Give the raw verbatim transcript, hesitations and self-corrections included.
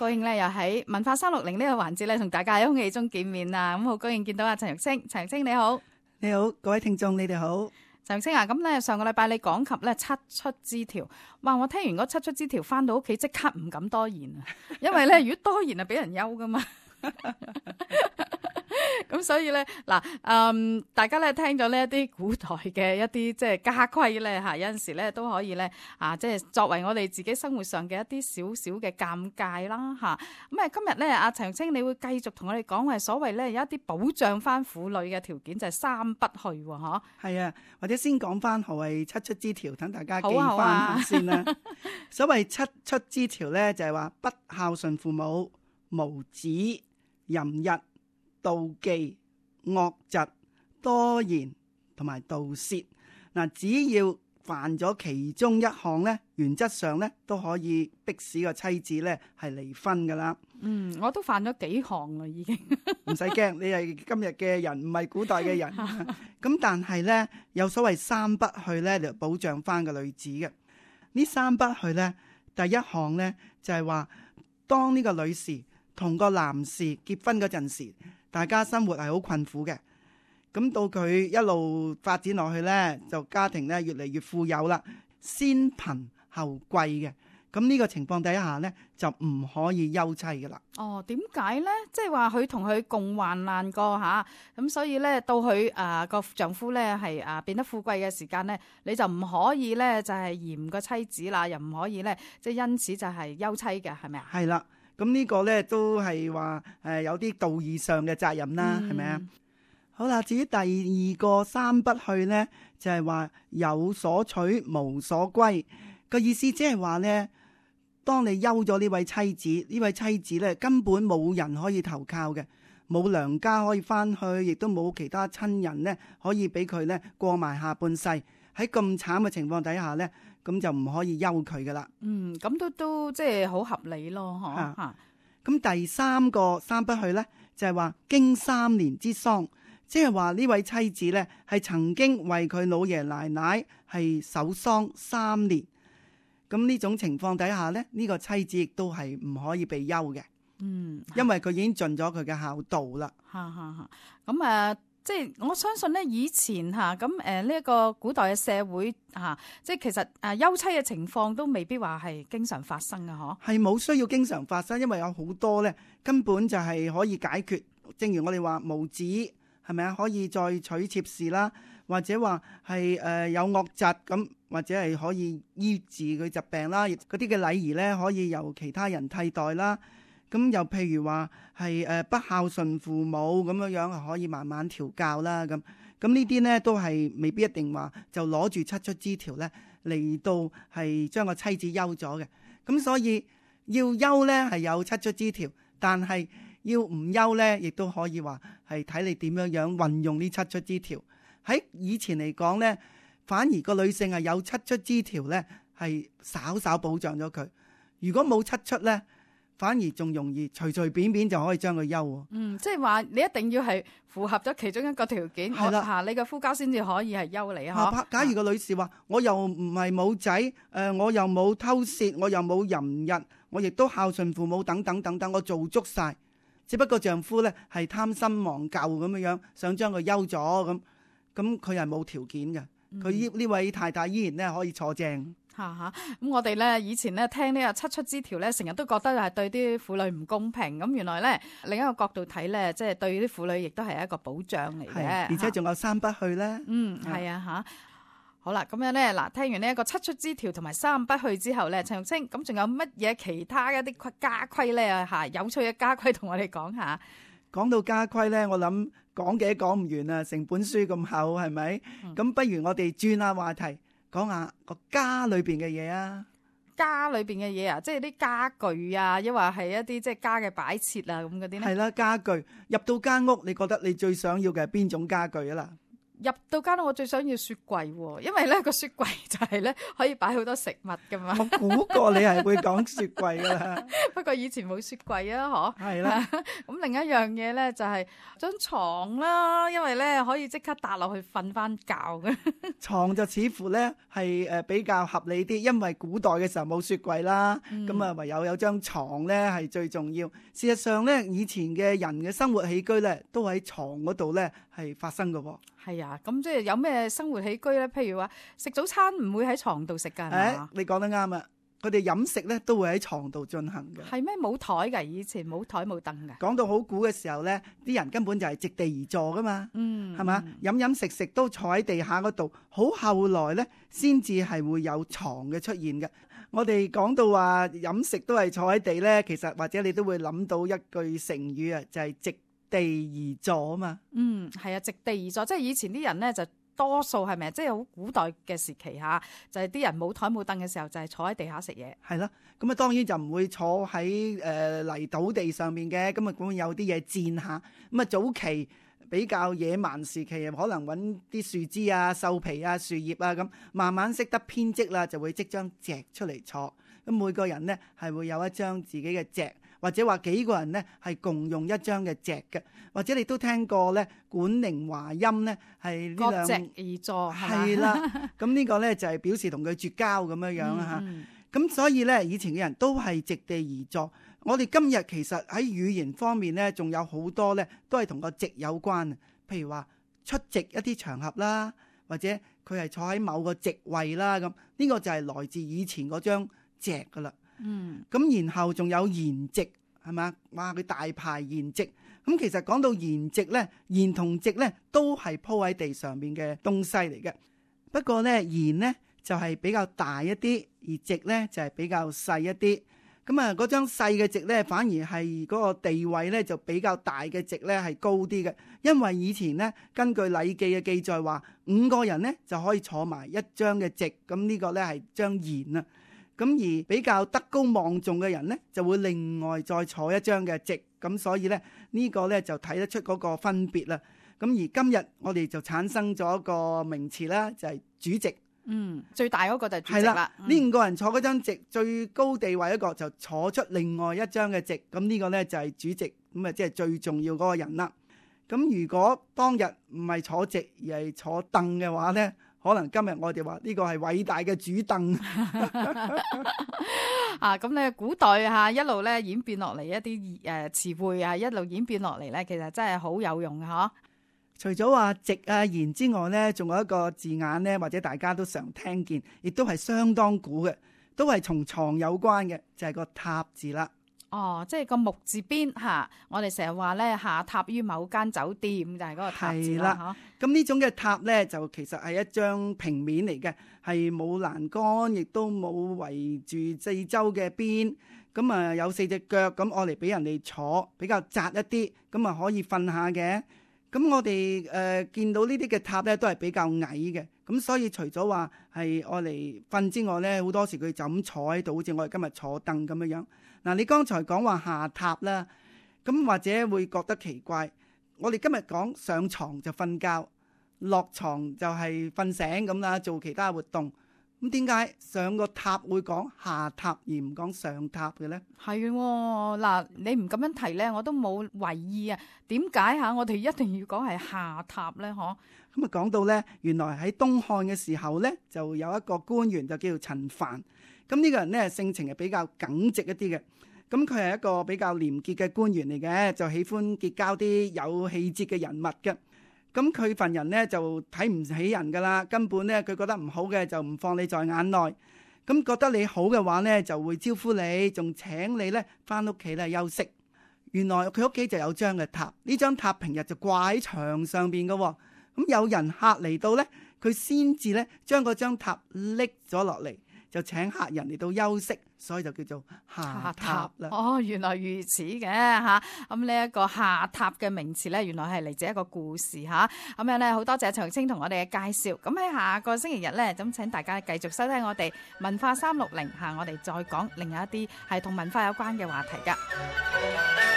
高興咧，又喺文化三六零呢個環節咧，同大家喺空氣中見面啊！咁好高興見到阿陳玉清，陳玉清你好，你好，各位聽眾你哋好。陳玉清啊，咁咧上個禮拜你講及咧七出之條，哇！我聽完嗰七出之條，翻到屋企即刻唔敢多言啊，因為咧如果多言啊，俾人休噶嘛。咁所以咧嗱，嗯，大家咧聽咗呢一啲古代嘅一啲即係家規咧嚇，有陣時咧都可以咧啊，即係作為我哋自己生活上嘅一啲少少嘅尷尬啦嚇。咁啊，今日咧阿陳玉清，你會繼續同我哋講話所謂咧有一啲保障翻婦女嘅條件就係三不去喎，嗬？係啊，或者先講翻何謂七出之條，等大家記翻下先啦。啊、所謂七出之條咧，就係話不孝順父母、無子、淫逸、妒忌、惡疾、多言同埋盜竊。嗱，只要犯咗其中一項咧，原則上咧都可以逼使個妻子咧係離婚噶啦。嗯，我都犯咗幾項啦，已經唔使驚，你係今日嘅人，唔係古代嘅人。咁但係咧，有所謂三不去咧，就保障翻個女子嘅。呢三不去咧，第一項咧就係話，當呢個女士同個男士結婚嗰陣時，大家生活係好困苦嘅。咁到佢一路發展落去咧，就家庭咧越嚟越富有啦，先貧後貴嘅。咁呢個情況底下咧，就唔可以休妻噶啦。哦，點解咧？即係話佢同佢共患難過吓，咁所以咧到佢誒個丈夫咧係誒變得富貴嘅時間咧，你就唔可以咧就係嫌個妻子啦，又唔可以咧即係因此就係休妻嘅，係咪啊？係啦，咁呢個咧都係話誒有啲道義上嘅責任啦，係咪啊？好啦，至於第二個三不去咧，就係話有所取無所歸，個意思即係話咧，當你休咗呢位妻子，呢位妻子咧根本冇人可以投靠嘅，冇娘家可以翻去，亦都冇其他親人咧可以俾佢咧過埋下半世。喺咁慘嘅情況底下咧，咁就唔可以休佢噶啦。嗯，咁都都即係好合理咯，嗬。吓，咁第三個三不去咧，就係話經三年之喪，即係話呢位妻子咧係曾經為佢老爺奶奶係守喪三年。咁呢種情況底下咧，呢、這個妻子亦都係唔可以被休嘅。嗯，因為佢已經盡咗佢嘅孝道啦。吓吓吓，咁誒、呃，即係我相信咧，以前吓咁誒呢一個古代嘅社會吓、啊，即係其實誒休妻嘅情況都未必話係經常發生嘅，嗬。係冇需要經常發生，因為有好多咧根本就係可以解決。正如我哋話無子係咪啊？可以再娶妾侍啦，或者話係誒有惡疾咁。或者係可以醫治佢疾病啦，嗰啲嘅禮儀咧可以由其他人替代啦。咁又譬如話係誒不孝順父母咁樣樣，可以慢慢調教啦。咁咁呢啲咧都係未必一定話就攞住七出之條咧嚟到係將個妻子休咗嘅。咁所以要休咧係有七出之條，但係要唔休咧，亦都可以話係睇你點樣樣運用呢七出之條。喺以前嚟講咧，反而個女性係有七出之條咧，係稍稍保障咗佢。如果冇七出咧，反而仲容易隨隨便便就可以將佢休。嗯，即係話你一定要係符合咗其中一個條件，係啦嚇，你嘅夫家先至可以係休你嚇。假如個女士話：我又唔係冇仔，誒我又冇偷竊，我又冇淫逸，我亦都孝順父母等等等等，我做足晒。只不過丈夫咧係貪新忘舊咁樣樣，想將佢休咗咁，咁佢係冇條件嘅。佢呢呢位太太依然咧可以坐正。吓吓，咁我哋咧以前咧聽呢個七出之條咧，成日都覺得係對啲婦女唔公平。咁原來咧另一個角度睇咧，即係對啲婦女亦都係一個保障嚟嘅。而且仲有三不去咧。嗯，係啊吓。好啦，咁樣咧嗱，聽完呢一個七出之條同埋三不去之後咧，陳玉清，咁仲有乜嘢其他一啲家規咧吓？有趣嘅家規同我哋講下。講到家規咧，我諗講嘅講唔完啊，成本書咁厚，係咪？咁、嗯、不如我哋轉下話題，講下個家裏邊嘅嘢啊。家裏邊嘅嘢啊，即係啲家具啊，抑或係一啲即係家嘅擺設啊，咁嗰啲咧。係啦，家具入到間屋，你覺得你最想要嘅係邊種家具啊啦？入到間屋，我最想要雪櫃喎，因為咧個雪櫃就係咧可以擺好多食物噶嘛。我估過你係會講雪櫃噶啦，不過以前冇雪櫃啊，嗬。係啦。咁另一樣嘢咧就係張床啦，因為咧可以即刻搭落去瞓翻覺嘅。床就似乎咧係誒比較合理啲，因為古代嘅時候冇雪櫃啦，咁啊、嗯、唯有有張床咧係最重要。事實上咧，以前嘅人嘅生活起居咧都喺床嗰度咧係發生嘅。係啊，咁即係有咩生活起居咧？譬如話食早餐唔會喺床度食噶，係嘛？你講得啱啊！佢哋飲食咧都會喺床度進行嘅。係咩？冇台噶？以前冇台冇凳噶。講到好古嘅時候咧，啲人根本就係席地而坐噶嘛，嗯，係嘛？飲飲食食都坐喺地下嗰度。好後來咧，先至係會有床嘅出現嘅。我哋講到話飲食都係坐喺地咧，其實或者你都會諗到一句成語啊，就係席地而坐啊嘛。嗯，係啊，席地而坐，即係以前啲人咧就多數係咪？即係好古代嘅時期吓，就係、是、啲人冇台冇凳嘅時候，就係、是、坐喺地下食嘢。係啦，咁啊當然就唔會坐喺誒、呃、泥土地上面嘅，咁啊會有啲嘢墊下。咁啊早期比較野蠻時期，可能揾啲樹枝啊、獸皮啊、樹葉啊咁，慢慢識得編織啦，就會織張席出嚟坐。咁每個人呢係會有一張自己嘅席。或者話幾個人呢係共用一張嘅席嘅，或者你都聽過咧，管寧華音咧係呢兩各席而坐係啦，咁呢個咧就係表示同佢絕交咁樣樣啦嚇。咁、嗯、所以咧，以前嘅人都係席地而坐。我哋今日其實喺語言方面咧，仲有好多咧都係同個席有關。譬如話出席一啲場合啦，或者佢係坐喺某個席位啦，咁呢個就係來自以前嗰張席噶啦。嗯，咁然後仲有筵席，係嘛？哇，佢大排筵席。咁其實講到筵席咧，筵同席咧都係鋪喺地上面嘅東西嚟嘅。不過咧，筵咧就係比較大一啲，而席咧就係比較細一啲。咁啊，嗰張細嘅席咧，反而係嗰個地位咧就比較大嘅席咧係高啲嘅。因為以前咧，根據《禮記》嘅記載話，五個人咧就可以坐埋一張嘅席。咁呢個咧係張筵啊。咁而比較德高望重嘅人呢，就會另外再坐一張嘅席。咁所以呢，呢個呢就睇得出嗰個分別啦。咁而今日我哋就產生咗一個名詞啦，就係主席。嗯，最大嗰個就係主席啦。呢、嗯、五個人坐嗰張席，最高地位一個就坐出另外一張嘅席。咁呢個呢就係主席，咁啊即係最重要嗰個人啦。咁如果當日唔係坐席而係坐凳嘅話呢，可能今日我哋話呢個係偉大嘅主凳啊！咁咧古代嚇一路咧演變落嚟一啲誒詞彙啊，一路演變落嚟咧，其實真係好有用嘅嗬。除咗話席啊筵之外咧，仲有一個字眼咧，或者大家都常聽見，亦都係相當古嘅，都係同床有關嘅，就係個榻字啦。哦，即係個木字邊嚇，我哋成日話咧下榻於某間酒店，就係嗰個榻字啦。咁呢種嘅榻咧，就其實係一張平面嚟嘅，係冇欄杆，亦都冇圍住四周嘅邊。咁啊有四隻腳，咁我嚟俾人哋坐，比較窄一啲，咁啊可以瞓下嘅。咁我哋誒、呃、見到呢啲嘅榻咧，都係比較矮嘅。咁所以除咗話係我嚟瞓之外咧，好多時佢就咁坐喺度，好似我哋今日坐凳咁樣樣。嗱，你剛才講話下榻啦，咁或者會覺得奇怪。我哋今日講上床就瞓覺，落床就係瞓醒咁啦，做其他活動。咁點解上個榻會講下榻而唔講上榻嘅咧？係嗱，你唔咁樣提咧，我都冇為意啊。點解嚇我哋一定要講係下榻咧？嗬？咁啊講到咧，原來喺東漢嘅時候咧，就有一個官員就叫做陳蕃。咁呢個人咧性情係比較耿直一啲嘅。咁佢係一個比較廉潔嘅官員嚟嘅，就喜歡結交啲有氣節嘅人物嘅。咁佢份人咧就睇唔起人噶啦，根本咧佢覺得唔好嘅就唔放你在眼內。咁覺得你好嘅話咧，就會招呼你，仲請你咧翻屋企咧休息。原來佢屋企就有張嘅榻，呢張榻平日就掛喺牆上邊嘅。咁有人客嚟到咧，佢先至咧將嗰張榻拎咗落嚟，就請客人嚟到休息，所以就叫做下榻啦。哦，原來如此嘅吓。咁呢一個下榻嘅名詞咧，原來係嚟自一個故事吓。咁樣咧，好多謝長青同我哋嘅介紹。咁喺下個星期日咧，咁請大家繼續收聽我哋文化三六零吓，我哋再講另外一啲係同文化有關嘅話題噶。